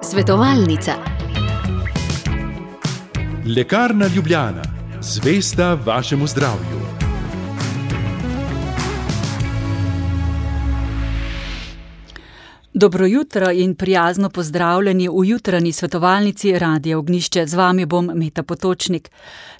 Svetovalnica. Lekarna Ljubljana, zvesta vašemu zdravju. Dobro jutro in prijazno pozdravljeni v jutranji svetovalnici Radia Ognjišče. Z vami bom Meta Potočnik.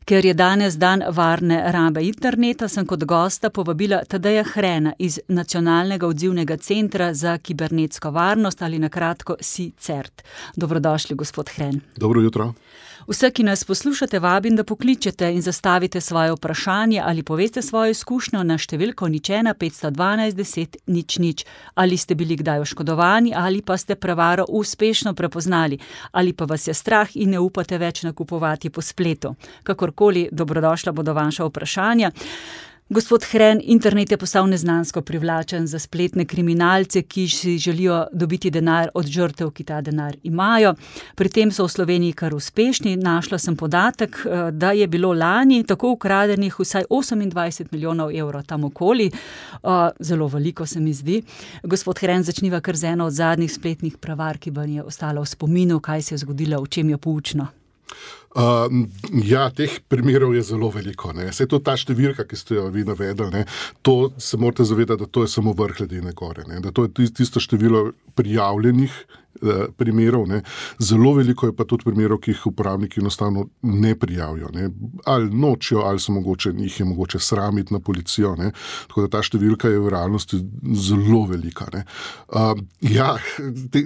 Ker je danes dan varne rabe interneta, sem kot gosta povabila Tadeja Hrena iz Nacionalnega odzivnega centra za kibernetsko varnost ali na kratko CSIRT. Dobrodošli, gospod Hren. Dobro jutro. Vse, ki nas poslušate, vabim, da pokličete in zastavite svoje vprašanje ali poveste svojo izkušnjo na številko 01 512 10 00. Ali ste bili kdaj oškodovani ali pa ste prevaro uspešno prepoznali ali pa vas je strah in ne upate več nakupovati po spletu. Kakorkoli, dobrodošla bodo vaša vprašanja. Gospod Hren, internet je postal neznansko privlačen za spletne kriminalce, ki si želijo dobiti denar od žrtev, ki ta denar imajo. Pri tem so v Sloveniji kar uspešni. Našla sem podatek, da je bilo lani tako ukradenih vsaj 28 milijonov evrov tam okoli. Zelo veliko se mi zdi. Gospod Hren, začniva kar z eno od zadnjih spletnih prevar, ki vam je ostala v spominu, kaj se je zgodilo, v čem je poučno. Teh primerov je zelo veliko. Saj to ta številka, ki ste jo vi navedli, to se morate zavedati, da to je samo vrh ledene gore. Da to je tisto število prijavljenih primerov. Zelo veliko je pa tudi primerov, ki jih uporabniki enostavno ne prijavijo. Ali nočijo, ali jih je mogoče sramiti na policijo. Tako da ta številka je v realnosti zelo velika.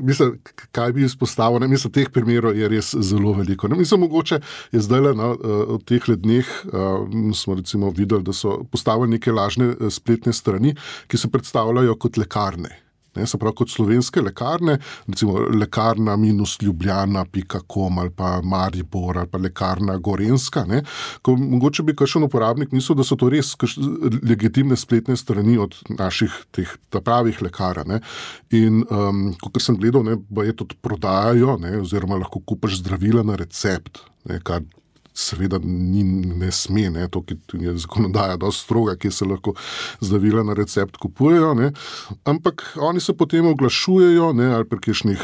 Mislim, kaj bi izpostavil? Mislim, teh primerov je res zelo veliko. Mislim, mogoče je zdaj v teh dneh smo recimo videli, da so postavili neke lažne spletne strani, ki se predstavljajo kot lekarne. Se pravi, kot slovenske lekarne, recimo lekarna-ljubljana.com ali pa Maribor ali pa lekarna Gorenjska. Ko mogoče bi kakšen uporabnik mislil, da so to res legitimne spletne strani od naših teh pravih lekarn. In kot sem gledal, je tudi prodajajo, oziroma lahko kupiš zdravila na recept, kar seveda ne sme, to je zakonodaja dosti stroga, ki se lahko zdravila na recept kupujejo, ampak oni se potem oglašujejo, ali pri kakšnih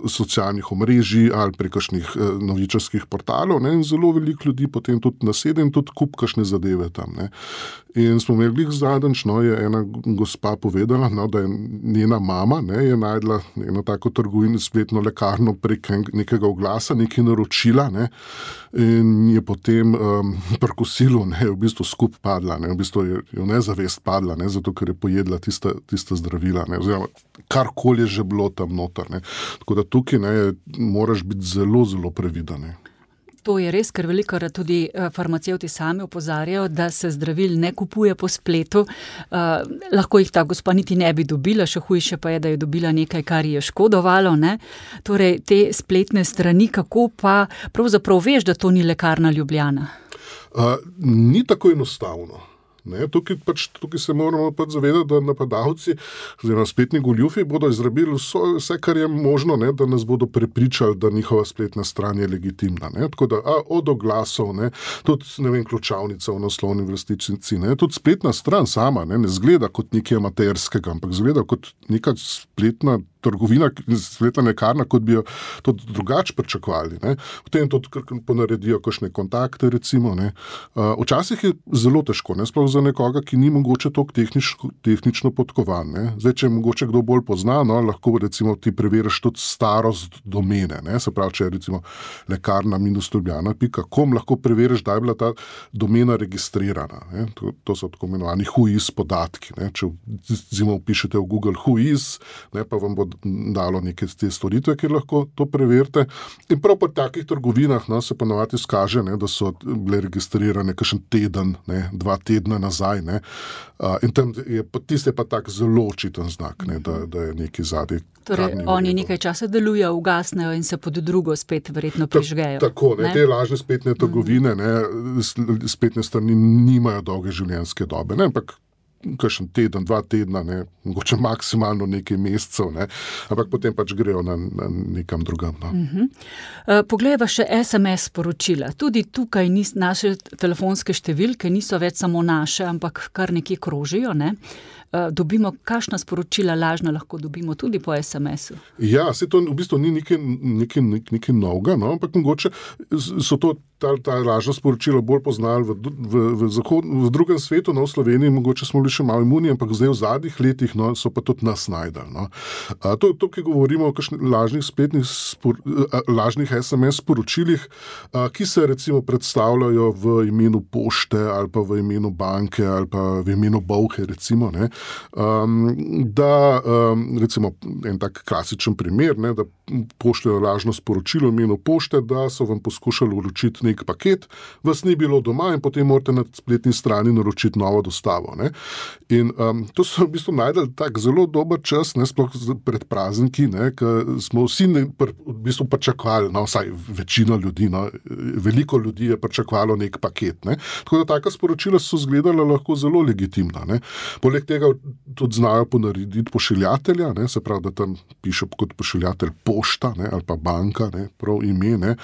socialnih omrežij ali pri kakšnih novičarskih portalov, in zelo veliko ljudi potem tudi nasede in tudi kup kakšne zadeve tam. In smo imeli zadnjič, je ena gospa povedala, da je njena mama je najdla eno tako trgovino, spletno lekarno prek nekega oglasa, nekaj naročila, in je potem pri kosilu v bistvu skup padla, v bistvu je v nezavest padla, zato ker je pojedla tista zdravila, oziroma karkoli je že bilo tam noter. Tako da tukaj moraš biti zelo, zelo previden. To je res, ker velikokrat tudi farmacevti sami opozarjajo, da se zdravil ne kupuje po spletu. Lahko jih ta gospa niti ne bi dobila, še hujše pa je, da je dobila nekaj, kar je škodovalo. Torej, te spletne strani, kako pa pravzaprav veš, da to ni lekarna Ljubljana? Ni tako enostavno. Tukaj se moramo zavedati, da napadalci oziroma spletni goljufi bodo izrabili vse, kar je možno, da nas bodo prepričali, da njihova spletna stran je legitimna. Tako da od oglasov, tudi ključavnica v naslovni vrstičnici, tudi spletna stran sama ne zgleda kot nekaj amaterskega, ampak zgleda kot neka spletna trgovina, spletna lekarna, kot bi jo tudi drugače pričakovali. Potem tudi ponaredijo kakšne kontakte, recimo. Včasih je zelo težko, sploh za nekoga, ki ni mogoče toliko tehnično podkovan. Zdaj, če mogoče kdo bolj pozna, lahko recimo ti preveriš tudi starost domene. Se pravi, če je recimo lekarna-ljubljana.com, lahko preveriš, da je bila ta domena registrirana. To so tako imenovani whois podatki. Če recimo pišete v Google whois, pa vam bo dalo neke te storitve, kjer lahko to preverite. In prav po takih trgovinah se ponavadi skaže, da so bile registrirane kakšen teden, 2 tedna nazaj. In tam tiste pa tak zelo očiten znak, da je nekaj zadaj. Torej, oni nekaj časa delujejo, ugasnejo in se pod drugo spet verjetno prižgejo. Tako, te lažne spletne trgovine, spletne strani nimajo dolge življenjske dobe, ampak kakšen teden, 2 tedna, ne, mogoče maksimalno nekaj mesecev, ne, ampak potem pač grejo na nekam drugam. No. Poglejva še SMS sporočila. Tudi tukaj naše telefonske številke niso več samo naše, ampak kar nekje krožijo, ne. Dobimo, kakšna sporočila lažna lahko dobimo tudi po SMS-u? Ja, se to v bistvu ni nekaj novega, no, ampak mogoče so to ta lažna sporočila bolj poznali v drugem svetu, no, v Sloveniji mogoče smo bili še malo imuni, ampak zdaj v zadnjih letih, no, so pa tudi nas najdali. No. To, ki govorimo o kakšnih lažnih SMS sporočilih, ki se recimo predstavljajo v imenu pošte ali pa v imenu banke ali pa v imenu bolhe, recimo, ne, recimo en tak klasičen primer, ne, da pošljajo lažno sporočilo v imenu pošte, da so vam poskušali vročiti nek paket, vas ni bilo doma in potem morate na spletni strani naročiti novo dostavo. Ne. In to so v bistvu najdali tak zelo dober čas, ne, sploh pred prazniki, ne, ko smo vsi v bistvu pričakovali, no, vsaj večina ljudi, no, veliko ljudi je pričakovalo nek paket. Ne. Tako da taka sporočila so izgledala lahko zelo legitimna. Ne. Poleg tega tudi znajo ponarediti pošiljatelja, ne, se pravi, da tam piše kot pošiljatelj pošta, ne, ali pa banka, ne, prav ime. Ne.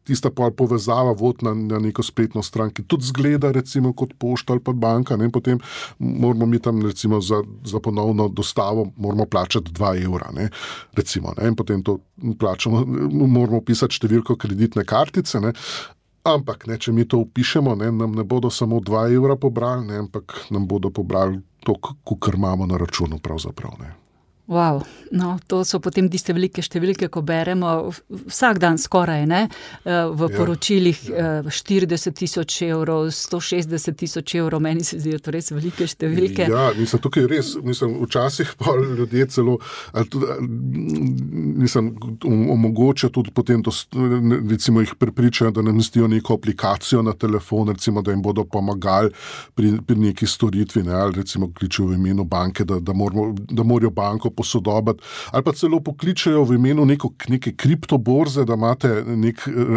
Tista povezava vod na neko spletno stran, ki tudi zgleda recimo kot pošta ali pa banka, ne, potem moramo mi tam recimo za ponovno dostavo moramo plačati 2 evra, ne, recimo, ne, in potem to plačamo, moramo pisati številko kreditne kartice, ne. Ampak, ne, če mi to upišemo, ne, nam ne bodo samo 2 evra pobrali, ne, ampak nam bodo pobrali to, kar imamo na računu pravzaprav. Ne. Wow, no, to so potem tiste velike številke, ko beremo vsak dan skoraj, ne, v poročilih 40.000 evrov, 160.000 evrov, meni se zdijo to res velike številke. Ja, tukaj res, včasih pa ljudje celo, omogočajo tudi potem, recimo jih prepričajo, da namestijo neko aplikacijo na telefon, recimo, da jim bodo pomagali pri neki storitvi, ne, ali recimo kličejo v imenu banke, da morajo banko posodobiti, ali pa celo pokličajo v imenu neke kriptoborze, da imate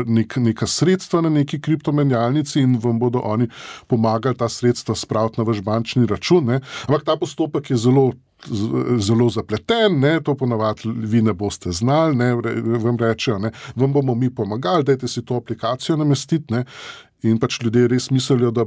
neka sredstva na neki kriptomenjalnici in vam bodo oni pomagali ta sredstva spraviti na vaš bančni račun. Ne. Ampak ta postopek je zelo zapleten, ne, to ponavadi vi ne boste znali, ne, vam rečejo, ne, vam bomo mi pomagali, dajte si to aplikacijo namestiti, ne, in pač ljudje res mislijo, da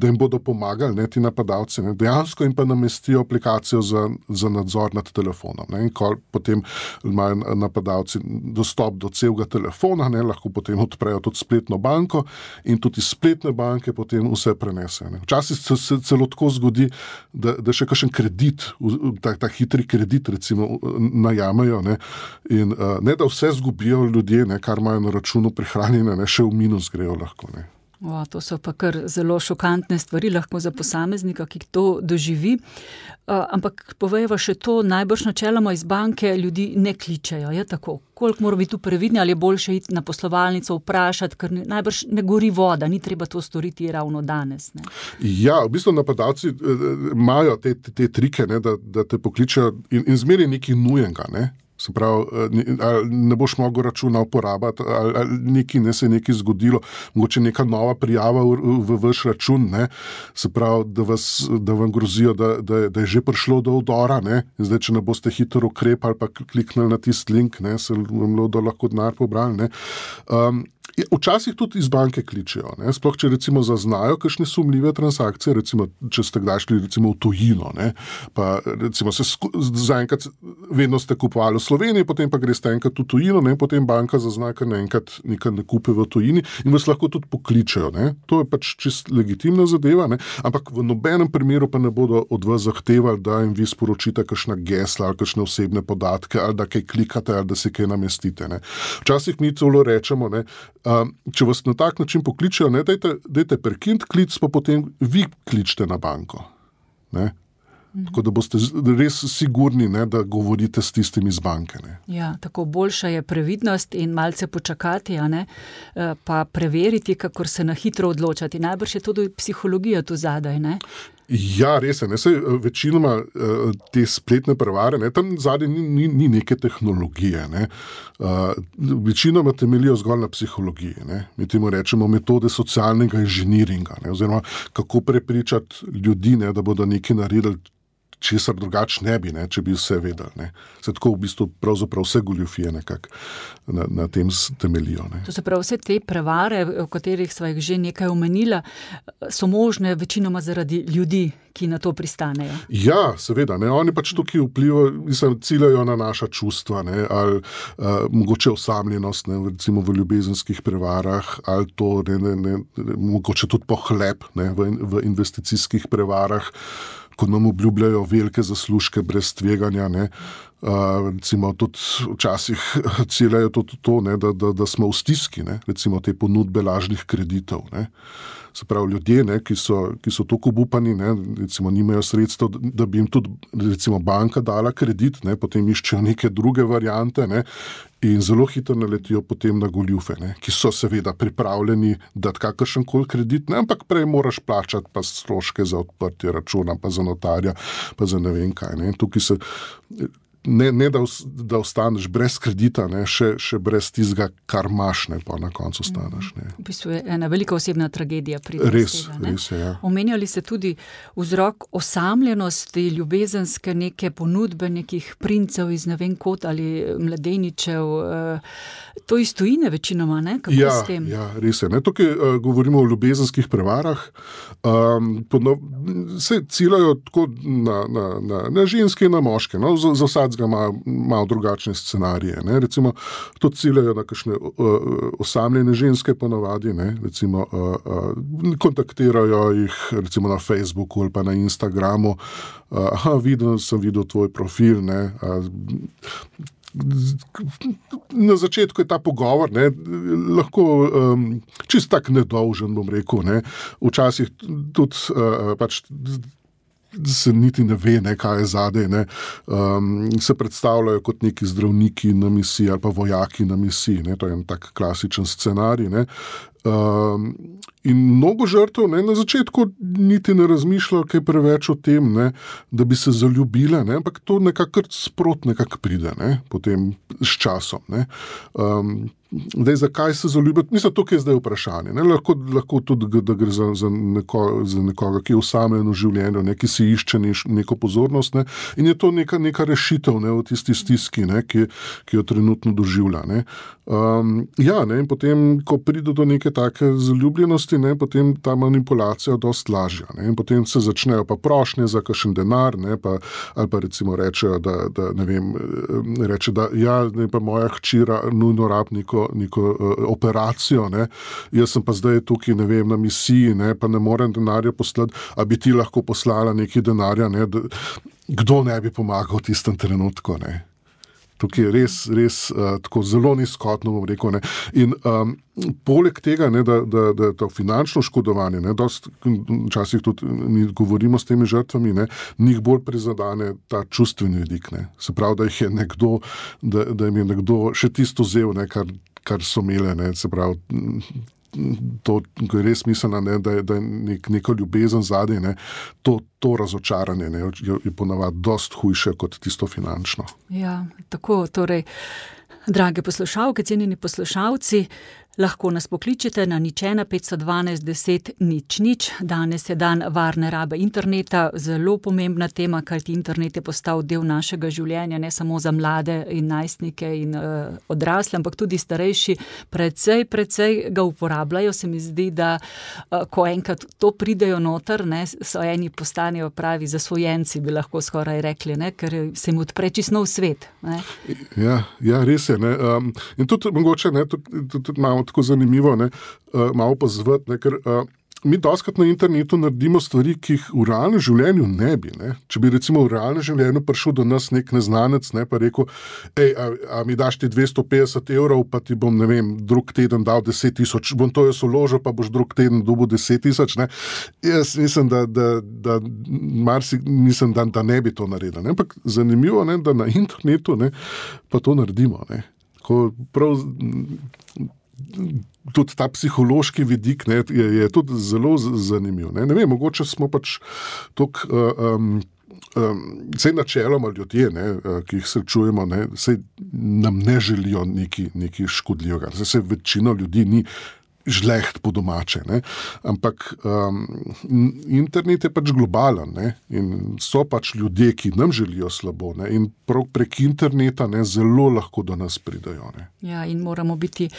jim bodo pomagali, ne, ti napadalci, ne, dejansko jim pa namestijo aplikacijo za nadzor nad telefonom, ne, in ko potem imajo napadalci dostop do celega telefona, ne, lahko potem odprejo tudi spletno banko in tudi iz spletne banke potem vse prenesejo. Včasih se celo tako zgodi, da še kakšen kredit, ta hitri kredit recimo najamejo, ne, in ne da vse zgubijo ljudje, ne, kar imajo na računu prihranjene, ne, še v minus grejo lahko. Ne. To so pa kar zelo šokantne stvari lahko za posameznika, ki to doživi. Ampak povejva še to, najbrž načeloma iz banke ljudi ne kličejo, je tako? Koliko moramo biti tu previdni, ali je boljše iti na poslovalnico vprašati, ker najbrž ne gori voda, ni treba to storiti ravno danes. Ne? Ja, v bistvu napadalci imajo te trike, ne, da te pokličejo in zmeri nekaj nujenega, ne. Se pravi, ne boš mogel računa uporabiti, ali se je nekaj zgodilo, mogoče neka nova prijava v vaš račun, ne, se pravi, da vam grozijo, da je že prišlo do vdora, ne, in zdaj, če ne boste hitro ukrepali, pa kliknili na tisti link, ne, se vam lahko denar pobrali, ne. Včasih tudi iz banke kličejo, ne? Sploh če recimo zaznajo kakšne sumljive transakcije, recimo če ste kdaj šli recimo v tujino, ne? Pa recimo zaenkrat vedno ste kupovali v Sloveniji, potem pa greste enkrat v tujino, ne? Potem banka zazna, ker naenkrat nekaj ne kupe v tujini in vas lahko tudi pokličejo, ne? To je pač čist legitimna zadeva, ne? Ampak v nobenem primeru pa ne bodo od vas zahtevali, da jim vi sporočite kakšna gesla ali kakšne osebne podatke ali da kaj klikate ali da si kaj namestite, ne? Včasih mi celo rečemo, ne, če vas na tak način pokličejo, ne, dajte prekiniti klic, pa potem vi kličite na banko. Ne? Tako da boste res sigurni, ne, da govorite s tistim iz banke. Ne. Ja, tako boljša je previdnost in malce počakati, a ne, pa preveriti, kakor se na hitro odločati. Najbrž je tudi psihologija tu zadaj, ne? Ja, res je. Večinoma te spletne prevare, tam zadnje ni neke tehnologije. Ne. Večinoma temeljijo zgolj na psihologiji. Ne. Mi temu rečemo metode socialnega inženiringa, ne, oziroma kako prepričati ljudi, ne, da bodo nekaj naredili, česar drugače ne bi, ne, če bi vse vedeli. Ne. Se tako v bistvu pravzaprav vse goljufije nekako na tem temeljijo. Ne. To se pravi, vse te prevare, o katerih sva jih že nekaj omenila, so možne večinoma zaradi ljudi, ki na to pristanejo. Ja, seveda. Ne. Oni pač tukaj vplivajo, ciljajo na naša čustva, ne, ali mogoče osamljenost, ne, recimo v ljubezenskih prevarah, ali to mogoče tudi pohlep, ne, v investicijskih prevarah, ko nam obljubljajo velike zaslužke brez tveganja, ne. Recimo tudi včasih ciljajo to, ne, da smo v stiski, ne, recimo te ponudbe lažnih kreditov. Ne. Se pravi, ljudje, ne, ki so toliko obupani, ne, recimo nimajo sredstev, da bi jim tudi recimo banka dala kredit, ne, potem iščejo neke druge variante, ne, in zelo hitro naletijo potem na goljufe, ne, ki so seveda pripravljeni dati kakršenkoli kredit, ne, ampak prej moraš plačati pa stroške za odprtje računa, pa za notarja, pa za ne vem kaj. Ne. Tukaj se ne da ostaneš brez kredita, ne, še brez tistega, kar imaš, ne, pa na koncu ostaneš. Ne. V bistvu je ena velika osebna tragedija pride iz tega. Res je, ja. Omenjali ste tudi vzrok osamljenosti, ljubezenske neke ponudbe nekih princev iz ne vem kot ali mladeničev. To iz tujine večinoma, ne? Kako s tem? Ja, res je. Ne? Tukaj govorimo o ljubezenskih prevarah. Se ciljajo tako na ženske in na moške. No? Za vsakega malo drugačne scenarije. Ne? Recimo, to ciljajo na kakšne osamljene ženske ponavadi. Ne? Recimo, kontaktirajo jih recimo na Facebooku ali pa na Instagramu. Sem videl tvoj profil, ne? Na začetku je ta pogovor, ne, lahko čist tak nedolžen, bom rekel, ne. Včasih tudi pač se niti ne ve, ne, kaj je zadaj, ne. Se predstavljajo kot neki zdravniki na misiji ali pa vojaki na misiji, ne. To je en tak klasičen scenarij, ne. In mnogo žrtev, ne, na začetku niti ne razmišljajo kaj preveč o tem, ne, da bi se zaljubile, ne, ampak to nekako sprot nekako pride, ne, potem s časom. Ne. Zakaj se zaljubiti? Mislim, tukaj je zdaj vprašanje. Ne. Lahko tudi, da gre za nekoga, ki je osamljen v življenju, ne, ki si išče neko pozornost, ne, in je to neka rešitev, ne, v tisti stiski, ne, ki jo trenutno doživlja. Ne. Ja, ne, in potem, ko pride do neke take zaljubljenosti, ne, potem ta manipulacija dosti lažja. Ne, in potem se začnejo pa prošnje za kakšen denar, ne, ali pa recimo rečejo, da ne vem, reče, da ja, ne, pa moja hčera nujno rab neko operacijo, ne, jaz sem pa zdaj tukaj, ne vem, na misiji, ne, pa ne morem denarja poslati, a bi ti lahko poslala nekaj denarja, ne, kdo ne bi pomagal v tistem trenutku, ne. Tukaj je res tako zelo nizkotno, bom rekel. Ne. In poleg tega, ne, da to finančno škodovanje, ne, včasih tudi mi govorimo s temi žrtvami, ne, njih bolj prizadane ta čustveni vidik. Ne. Se pravi, da jih je nekdo, da jim je nekdo še tisto vzel, ne, kar so imele, ne, se pravi, to je res misleno, ne, da je neko ljubezen zadaj, ne, to razočaranje, ne, je ponavadi dosti hujše kot tisto finančno. Ja, tako, torej, drage poslušalke, cenjeni poslušalci, lahko nas pokličete na 01 512 10 00. Danes je dan varne rabe interneta, zelo pomembna tema, kajti internet je postal del našega življenja, ne samo za mlade in najstnike in odrasle, ampak tudi starejši precej ga uporabljajo. Se mi zdi, da ko enkrat to pridejo noter, ne, so eni postanejo pravi zasvojenci, bi lahko skoraj rekli, ne, ker se jim odpre čisto nov svet. Ne. Ja, res je. Ne. In tudi mogoče, ne, tudi malo tako zanimivo, ne, malo pozvati, ne, ker mi dostakrat na internetu naredimo stvari, ki jih v realnem življenju ne bi. Ne. Če bi recimo v realnem življenju prišel do nas nek neznanec, ne, pa rekel, a mi daš ti 250 €, pa ti bom, ne vem, drug teden dal 10 000, bom to jaz vložil, pa boš drug teden dobil 10 000, ne. Jaz mislim, da ne bi to naredil. Ne. Ampak zanimivo, ne, da na internetu, ne, pa to naredimo. Ne. Ko prav tudi ta psihološki vidik, ne, je tudi zelo zanimiv. Ne vem, mogoče smo pač vse načeloma ljudje, ne, ki jih srečujemo, ne, nam ne želijo nekaj škodljivega. Se večino ljudi ni žleht po domače, ne. Ampak internet je pač globalen, ne, in so pač ljudje, ki nam želijo slabo, ne, in prav prek interneta, ne, zelo lahko do nas pridajo. Ne. Ja, in moramo biti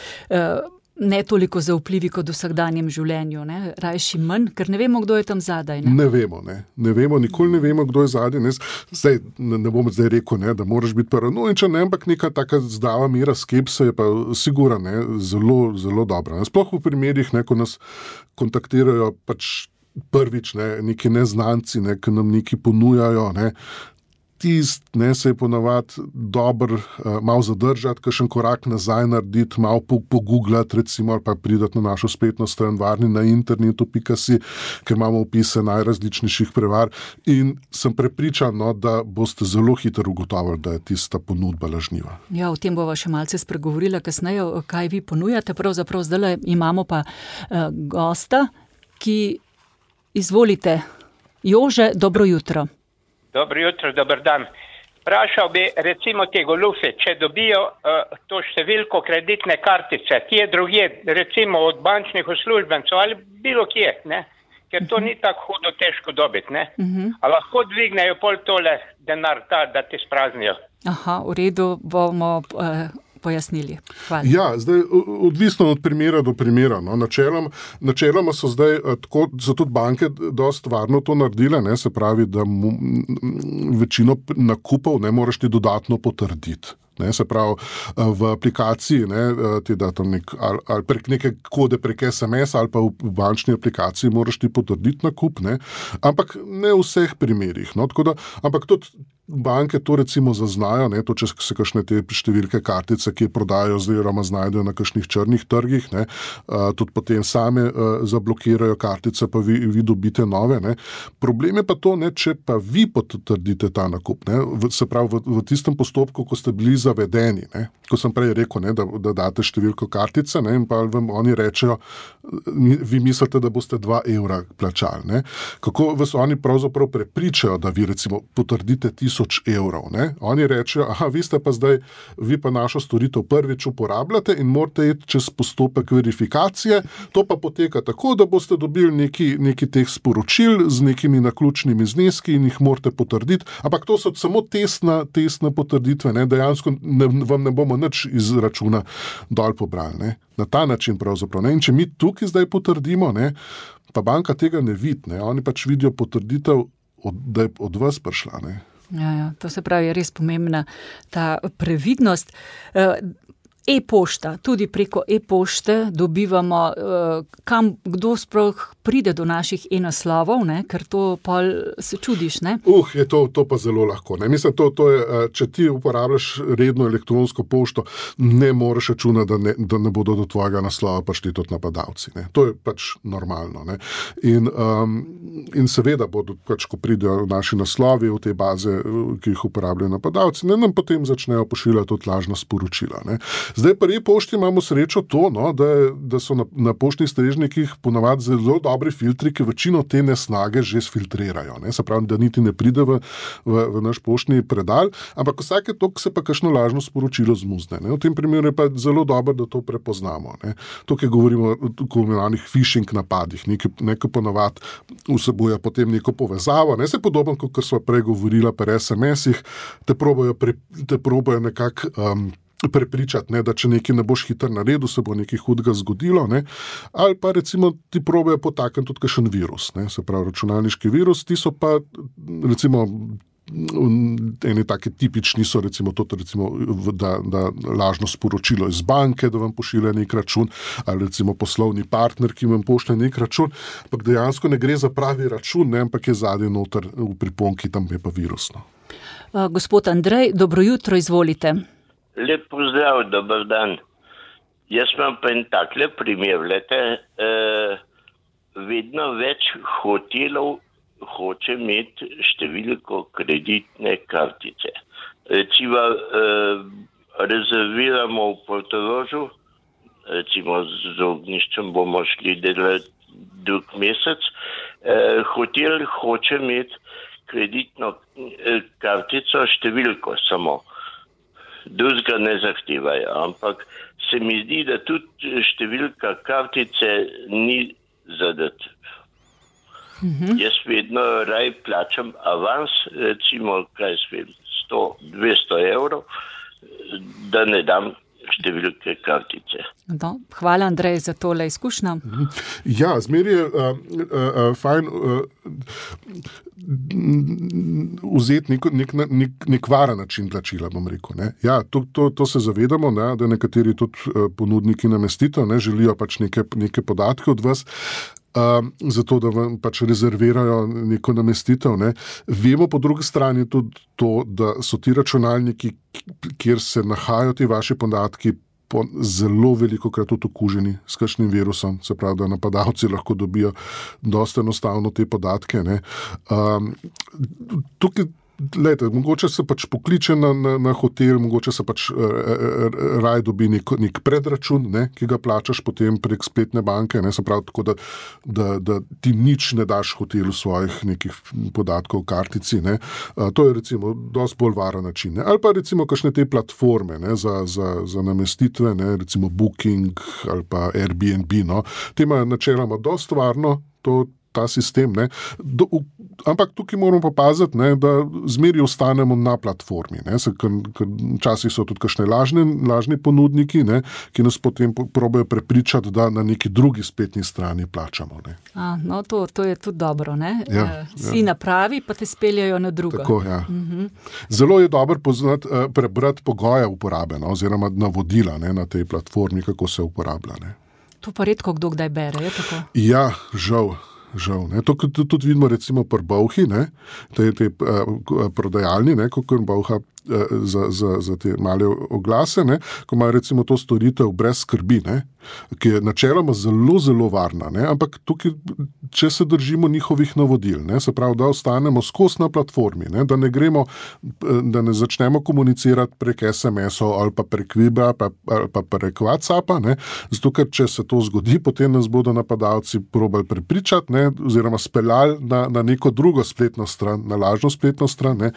ne toliko zaupljivi kot v vsakdanjem življenju, ne? Rajši manj, ker ne vemo, kdo je tam zadaj. Ne vemo, nikoli ne vemo, kdo je zadaj. Ne bom zdaj rekel, ne, da moraš biti paranoičen, ampak neka taka zdrava mera skepse je pa sigurno, ne, zelo, zelo dobra. Ne? Sploh v primerih, ne, ko nas kontaktirajo pač prvič, ne, neki neznanci, ne, ki nam nekaj ponujajo, ne. Ne, se je ponavadi dobro malo zadržati, kakšen korak nazaj narediti, malo pogooglati, recimo, ali pa pridati na našo spletno stran varni na internetu.si, ker imamo opise najrazličnejših prevar in sem prepričan, no, da boste zelo hitro ugotovili, da je tista ponudba lažniva. Ja, o tem bova še malce spregovorila kasneje, kaj vi ponujate. Pravzaprav zdaj imamo pa gosta, ki izvolite. Jože, dobro jutro. Dobro jutro, dober dan. Vprašal bi recimo te goljufe, če dobijo to številko kreditne kartice, kje drugje, recimo od bančnih uslužbencev ali bilo kje, ne? Ker to ni tako hudo težko dobiti, ne? A lahko dvignejo pol tole denar da ti spraznijo? Aha, v redu, bomo pojasnili. Hvala. Ja, zdaj odvisno od primera do primera. No. Načeloma so zdaj so tudi banke dosti varno to naredile, ne, se pravi, da večino nakupov ne moraš ti dodatno potrditi. Ne, se pravi, v aplikaciji, ne, ti da tam ali prek neke kode prek SMS ali pa v bančni aplikaciji moraš ti potrditi nakup, ne, ampak ne v vseh primerih. No, ampak tudi banke to recimo zaznajo, ne, to, če se kakšne te številke kartice, ki prodajajo oziroma znajdejo na kakšnih črnih trgih, ne, tudi potem same zablokirajo kartice, pa vi dobite nove. Ne. Problem je pa to, ne, če pa vi potrdite ta nakup, ne, se pravi v tistem postopku, ko ste bili zavedeni, ne, ko sem prej rekel, ne, da date številko kartice, ne, in pa vam oni rečejo, vi mislite, da boste 2 evra plačali. Ne. Kako vas oni pravzaprav prepričajo, da vi recimo potrdite 1000 evrov. Ne. Oni rečejo, vi pa našo storitev prvič uporabljate in morate iti čez postopek verifikacije, to pa poteka tako, da boste dobili neki teh sporočil z nekimi naključnimi zneski in jih morate potrditi, ampak to so samo testne potrditve, ne. Dejansko vam ne bomo nič iz računa dol pobrali. Ne. Na ta način pravzaprav. Ne. In če mi tukaj zdaj potrdimo, ne, pa banka tega ne vidi, ne. Oni pač vidijo potrditev, da je od vas prišla. Ne. Ja, to se pravi, je res pomembna ta previdnost. E-pošta, tudi preko e-pošte dobivamo, kdo sploh pride do naših e-naslovov, ne? Ker to pol se čudiš, ne? Je to pa zelo lahko. Ne? Mislim, to je, če ti uporabljaš redno elektronsko pošto, ne moreš računati, da ne bodo do tvojega naslova prišli tudi napadalci. Ne? To je pač normalno. Ne? In seveda bodo, pač, ko pridejo naši naslovi v te baze, ki jih uporabljajo napadalci, ne, nam potem začnejo pošiljati tudi lažna sporočila. Ne? Zdaj pri e-pošti imamo srečo to, no, da so na poštnih strežnikih ponavadi zelo dobri filtri, ki večino te nesnage že sfiltrirajo. Ne? Se pravi, da niti ne pride v naš poštni predal, ampak vsake toliko se pa kakšno lažno sporočilo zmuzne. Ne? V tem primeru je pa zelo dobro, da to prepoznamo. Ne? Tukaj govorimo o tako imenovanih phishing napadih, nekaj ponavadi vsebuje potem neko povezavo. Ne? Se podobno, kot smo prej govorila pri SMS-ih, te probajo nekako prepričati, ne, da če nekaj ne boš hitro naredil, se bo nekaj hudega zgodilo, ne, ali pa recimo ti probajo potakniti tudi kakšen virus, ne, se pravi računalniški virus, ti so pa recimo eni taki tipični so recimo da lažno sporočilo iz banke, da vam pošilja nek račun, ali recimo poslovni partner, ki vam pošlje nek račun, ampak dejansko ne gre za pravi račun, ne, ampak je zadnji noter v priponki, tam je pa virusno. Gospod Andrej, dobro jutro, izvolite. Lep pozdrav, dober dan. Jaz imam pa en takle primer, vedno več hotelov hoče imeti številko kreditne kartice. Recimo rezerviramo v Portorožu recimo z ognjiščem bomo šli delati drug mesec, hotel hoče imeti kreditno kartico številko samo. Drugega ne zahtevajo, ampak se mi zdi, da tudi številka kartice ni zadat. Jaz vedno raj plačam avans, recimo, 100-200 evrov, da ne dam številke kartice. No, hvala, Andrej, za tole izkušnjo. Ja, zmeri je fajn vzeti nek varen način plačila, bom rekel. Ne? Ja, to se zavedamo, ne, da nekateri tudi ponudniki namestitev ne, želijo pač neke podatke od vas, zato da vam pač rezervirajo neko namestitev. Ne. Vemo po drugi strani tudi to, da so ti računalniki, kjer se nahajajo ti vaši podatki, zelo velikokrat tudi okuženi s kakšnim virusom, se pravi, da napadalci lahko dobijo dosti enostavno te podatke. Ne. Tukaj Lejte, mogoče se pač pokliče na hotel, mogoče se pač raj dobi nek predračun, ne, ki ga plačaš potem prek spletne banke, ne, se pravi tako, da ti nič ne daš hotelu svojih nekih podatkov v kartici. Ne. To je recimo dosti bolj varen način. Ne. Ali pa recimo kakšne te platforme, ne, za namestitve, ne, recimo Booking ali pa Airbnb. No. Te imajo načeloma dosti varno ta sistem, ne. Ampak tukaj moramo pa paziti, ne, da zmeri ostanemo na platformi. Ne, ker včasih so tudi kakšne lažni ponudniki, ne, ki nas potem probajo prepričati, da na neki drugi spletni strani plačamo. Ne. No, to je tudi dobro. Ne? Ja, si napravi, pa te speljajo na drugo. Tako, ja. Zelo je dobro prebrati pogoje uporabe, no, oziroma navodila, ne, na tej platformi, kako se uporablja. Ne. To pa redko kdo kdaj bere, je tako? Ja, žal. Ne. To tudi vidimo recimo pri Bolhi, ne, te prodajalni, ne, ko Bolha za te male oglase, ne, ko imajo recimo to storitev brez skrbi, ne, ki je načeloma zelo, zelo varna, ne, ampak tukaj, če se držimo njihovih navodil, ne, se pravi, da ostanemo skozi na platformi, ne, da ne začnemo komunicirati prek SMS-ov ali pa prek Vibra ali pa prek WhatsAppa, ne, zato ker če se to zgodi, potem nas bodo napadalci probali prepričati, ne, oziroma speljali na neko drugo spletno stran, na lažno spletno stran, ne.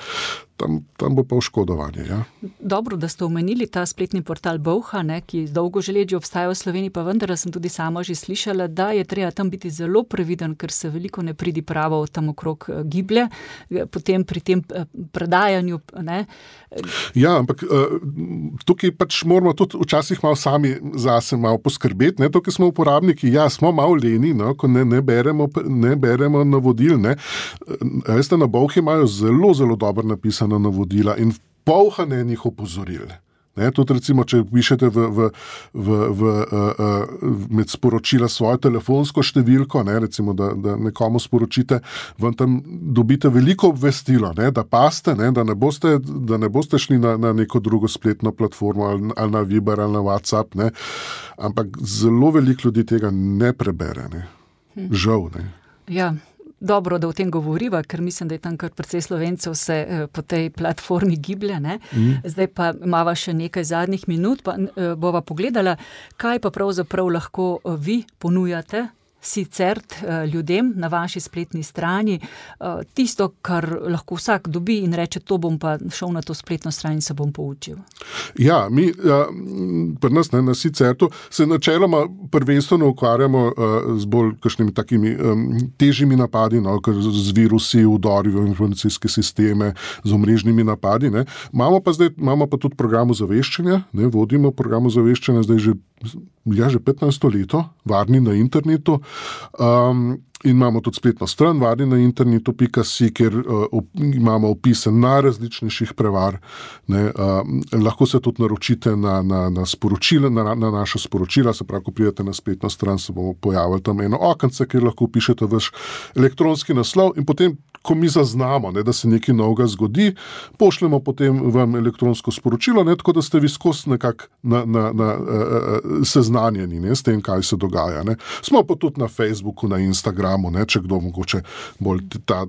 Tam bo pa oškodovanje. Ja. Dobro, da ste omenili ta spletni portal Bolha, ne, ki dolgo že let že obstaja v Sloveniji, pa vendar sem tudi sama že slišala, da je treba tam biti zelo previden, ker se veliko nepridipravo tam okrog giblje, potem pri tem predajanju. Ne. Ja, ampak tukaj pač moramo tudi včasih malo sami zase malo poskrbeti. Ne. Tukaj smo uporabniki, ja, smo malo leni, no, ko ne beremo navodil. Ne. Veste, na Bolhi imajo zelo, zelo dobro napisano navodila in polhane njih opozoril. Ne, tudi recimo, če pišete med sporočila svojo telefonsko številko, ne, recimo, da nekomu sporočite, vam tam dobite veliko obvestilo, ne, da paste, ne, da ne boste šli na neko drugo spletno platformo ali na Viber ali na WhatsApp, ne, ampak zelo veliko ljudi tega ne prebere. Ne. Žal. Ne. Ja. Dobro, da o tem govoriva, ker mislim, da je tam kar precej Slovencev se po tej platformi giblje. Ne? Zdaj pa imava še nekaj zadnjih minut, pa bova pogledala, kaj pa pravzaprav lahko vi ponujate sicer ljudem na vaši spletni strani. Tisto, kar lahko vsak dobi in reče, to bom pa šel na to spletno stran in se bom poučil. Ja, mi pri nas na Sicertu se načeloma prvenstveno ukvarjamo z bolj kakšnimi takimi težjimi napadi, no, z virusi, vdori v informacijske sisteme, z omrežnimi napadi. Ne. Imamo pa tudi program ozaveščanja, ne, vodimo program ozaveščanja zdaj že 15 leto, varni na internetu, in imamo tudi spletno stran varni na internetu.si, kjer imamo opise najrazličnejših prevar. Ne, lahko se tudi naročite na sporočila, na naša sporočila, se pravi, ko pridete na spletno stran, se bomo pojavili tam eno okence, kjer lahko pišete vaš elektronski naslov in potem, ko mi zaznamo, ne, da se nekaj novega zgodi, pošljemo potem vam elektronsko sporočilo, ne, tako da ste vi skozi nekako seznanjeni, ne, s tem, kaj se dogaja. Ne. Smo pa tudi na Facebooku, na Instagramu, ne, če kdo mogoče bolj ta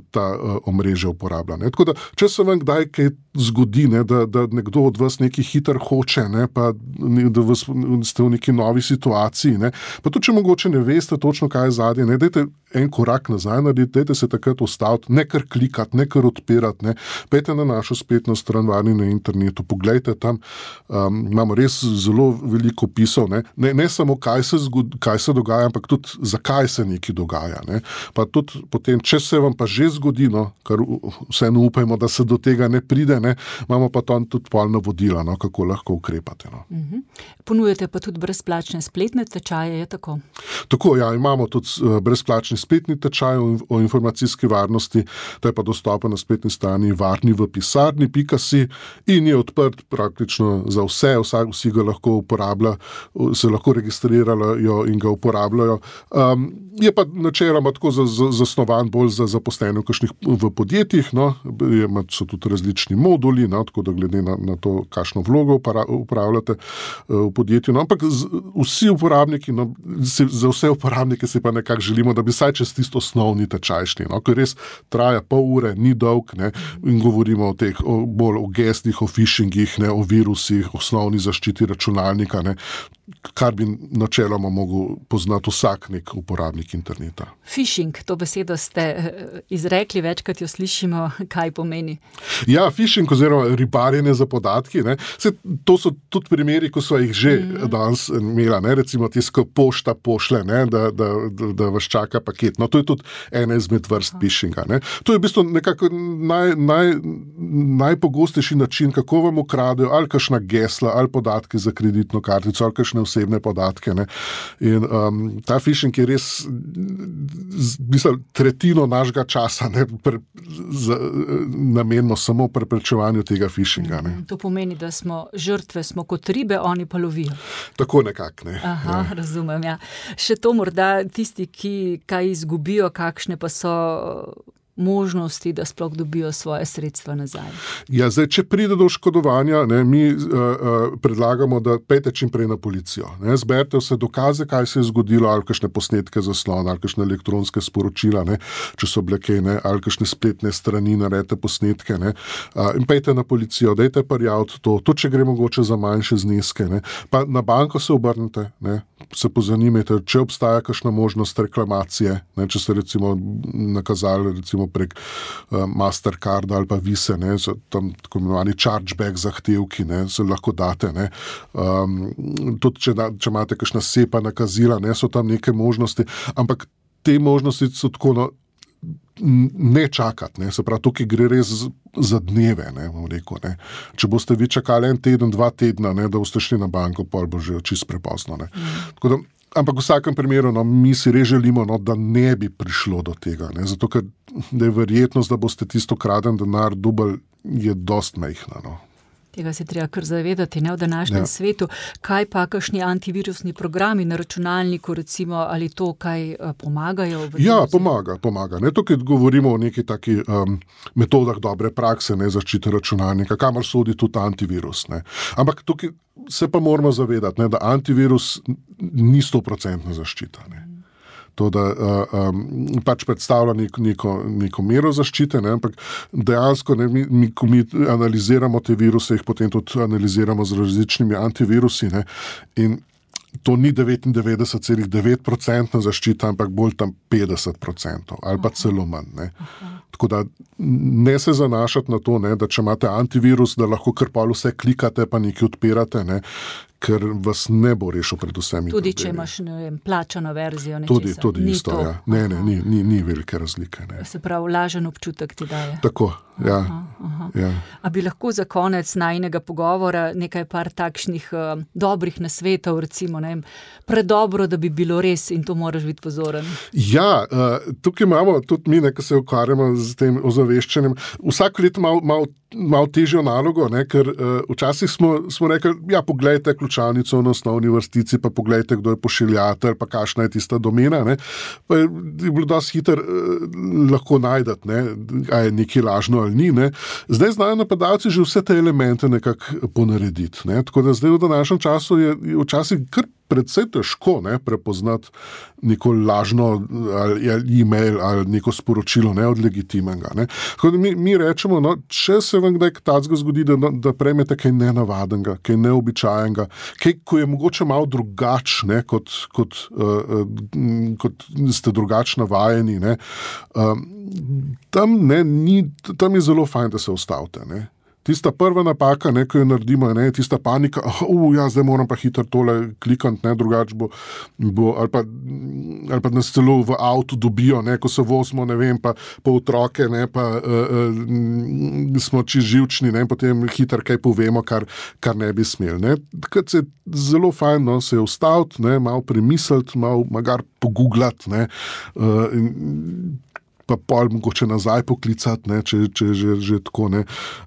omrežje uporablja. Ne. Tako da, če se vam kdaj kaj zgodi, ne, da nekdo od vas nekaj hitro hoče, ne, pa da ste v neki novi situaciji. Ne. Pa tudi, če mogoče ne veste točno, kaj je zadnje, ne, dajte en korak nazaj narediti, dajte se takrat ustaviti, ne kar klikati, ne kar odpirati, ne. Pejte na našo spletno stran Varni na internetu, poglejte tam, imamo res zelo veliko opisov, ne samo kaj se dogaja, ampak tudi zakaj se nekaj dogaja. Ne. Pa tudi potem, če se vam pa že zgodi, no, kar vseeno upajmo, da se do tega ne pride, ne, imamo pa tam tudi polna vodila, no, kako lahko ukrepate. No. Ponujate pa tudi brezplačne spletne tečaje, je tako? Tako, ja, imamo tudi brezplačni spletni tečaj o informacijski varnosti, to je pa dostopen na spletni strani varniVpisarni.si in je odprt praktično za vse, vsi ga lahko uporablja, se lahko registrirajo in ga uporabljajo. Je pa načeloma tako zasnovan bolj za zaposlene v podjetjih, no, so tudi različni moduli, no, tako da glede na to, kakšno vlogo upravljate v podjetju, no, ampak vsi uporabniki, no, za vse uporabnike si pa nekako želimo, da bi saj čez tisto osnovni tečaj šli, no, ker res traja pol ure, ni dolg, ne, in govorimo bolj o gestih, o phishingih, ne, o virusih, osnovni zaščiti računalnika, ne, kar bi načeloma mogel poznati vsak nek uporabnik interneta. Phishing, to besedo ste izrekli, večkrat jo slišimo, kaj pomeni? Ja, phishing oziroma ribarjenje za podatki, ne, to so tudi primeri, ko so jih že danes imela, ne, recimo tisto pošta pošle, ne, da vas čaka paket. No, to je tudi ena izmed vrst phishinga. Ne. To je v bistvu nekako najpogostejši način, kako vam ukradejo ali kakšna gesla, ali podatki za kreditno kartico, ali kakšne osebne podatke. Ne. In ta phishing je res tretjino našega časa namenimo samo preprečevanju tega phishinga. Ne. To pomeni, da smo žrtve, smo kot ribe, oni pa lovijo. Tako nekako, ne. Aha, ja. Razumem, ja. Še to morda tisti, ki kaj izgubijo, kakšne pa so možnosti, da sploh dobijo svoje sredstva nazaj. Ja, zdaj, če pride do oškodovanja, ne, mi predlagamo, da pejte čim prej na policijo. Ne, zberite vse dokaze, kaj se je zgodilo, ali kakšne posnetke zaslona, ali kakšne elektronske sporočila, ne, če so bile kaj, ne, ali kakšne spletne strani, naredite posnetke, ne, in pejte na policijo, dajte prijaviti to, tudi če gre mogoče za manjše zneske, ne, pa na banko se obrnite, ne, se pozanimajte, če obstaja kakšna možnost reklamacije, ne, če ste recimo nakazali recimo prek Mastercarda ali pa Vise, ne, so tam tako imenovani chargeback zahtevki, ne, se lahko date, ne. Tudi če imate kakšna sepa nakazila, ne, so tam neke možnosti, ampak te možnosti so tako, no, ne čakati, ne, se pravi, tukaj gre res za dneve, ne, bom rekel, ne. Če boste vi čakali 1 teden, 2 tedna, ne, da boste šli na banko, pol bo že čisto prepozno, ne. Tako da, ampak v vsakem primeru, no, mi si res želimo, no, da ne bi prišlo do tega, ne, zato ker da je verjetnost, da boste tisto kraden denar dobili, je dost majhna, no. Tega se treba kar zavedati, ne, v današnjem svetu. Kaj pa kakšni antivirusni programi na računalniku, recimo, ali to kaj pomagajo? Ja, pomaga. Ne, tukaj govorimo o neki taki metodah dobre prakse, ne, zaščite računalnika, kamor sodi tudi antivirus, ne. Ampak tukaj se pa moramo zavedati, ne, da antivirus ni 100% zaščita, ne. To, da pač predstavlja neko mero zaščite, ne, ampak dejansko, ne, ko mi analiziramo te viruse, jih potem tudi analiziramo z različnimi antivirusi, ne, in to ni 99,9% zaščita, ampak bolj tam 50% ali pa celo manj, ne. Tako da ne se zanašati na to, ne, da če imate antivirus, da lahko kar pol vse klikate pa nekaj odpirate, ne, ker vas ne bo rešil pred vsemi. Tudi če imaš, ne vem, plačano verzijo nečesa. Tudi isto, to. Ja. Ne, ni velike razlike. Ne. Se pravi, lažen občutek ti daje. Tako, ja. Ja. A bi lahko za konec najinega pogovora nekaj par takšnih dobrih nasvetov, recimo, ne vem, predobro, da bi bilo res in to moraš biti pozoren? Ja, tukaj imamo tudi mi, ko se ukvarjamo z tem ozaveščanjem, vsako leto malo težjo nalogo, ne, ker včasih smo rekli, ja, poglejte ključavnico na osnovni vrstici, pa poglejte, kdo je pošiljatelj, pa kakšna je tista domena, ne. Pa je bilo dosti hitro lahko najdati, ne, a je nekaj lažno ali ni, ne. Zdaj znajo napadalci že vse te elemente nekako ponarediti, ne. Tako da zdaj v današnjem času je včasih kar predvsej težko prepoznati neko lažno ali e-mail ali neko sporočilo od legitimnega. Tako da mi rečemo, če se vam kdaj takega zgodi, da prejmete kaj nenavadnega, kaj neobičajenega, kaj, ko je mogoče malo drugačne, kot ste drugačno navajeni, tam je zelo fajn, da se ustavite. Tista prva napaka, ko jo naredimo, je tista panika, zdaj moram pa hitro tole klikati, drugače bo ali pa nas celo v avtu dobijo, ko se vozimo, pa otroke, pa smo čisto živčni, potem hitro kaj povemo, kar ne bi smeli. Takrat se zelo fajn se je ustaviti, malo premisliti, malo magar pogooglati, pa pol mogoče nazaj poklicati, če že tako.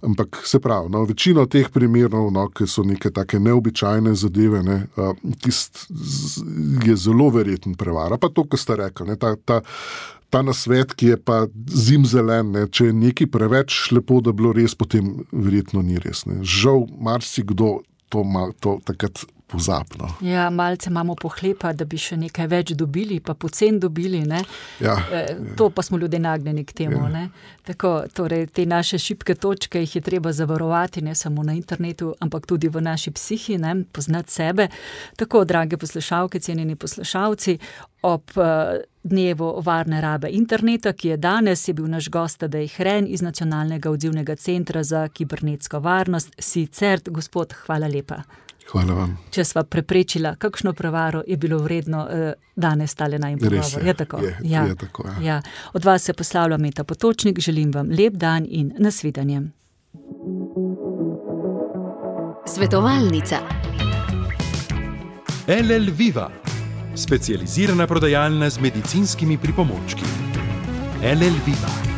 Ampak se pravi, večino teh primerov, ki so neke take neobičajne zadeve, je zelo verjeten prevara. Pa to, kar ste rekli, ta nasvet, ki je pa zimzelen, če je nekaj preveč lepo, da bilo res, potem verjetno ni res. Žal, marsikdo to takrat pozapno. Ja, malce imamo pohlepa, da bi še nekaj več dobili, pa pocen dobili. To pa smo ljudje nagnjeni k temu. Tako, torej, te naše šibke točke jih je treba zavarovati, ne samo na internetu, ampak tudi v naši psihi, poznati sebe. Tako, drage poslušalke, cenjeni poslušalci, ob dnevu varne rabe interneta, ki je danes, je bil naš gost Tadej Hren iz Nacionalnega odzivnega centra za kibernetsko varnost, CERT. Gospod, hvala lepa. Hvala vam. Če sva preprečila kakšno prevaro, je bilo vredno danes tale najin pogovor. Je tako. Je tako. Ja. Od vas se poslavlja Meta Potočnik, želim vam lep dan in nasvidenje. Svetovalnica. LL Viva, specializirana prodajalna z medicinskimi pripomočki. LL Viva.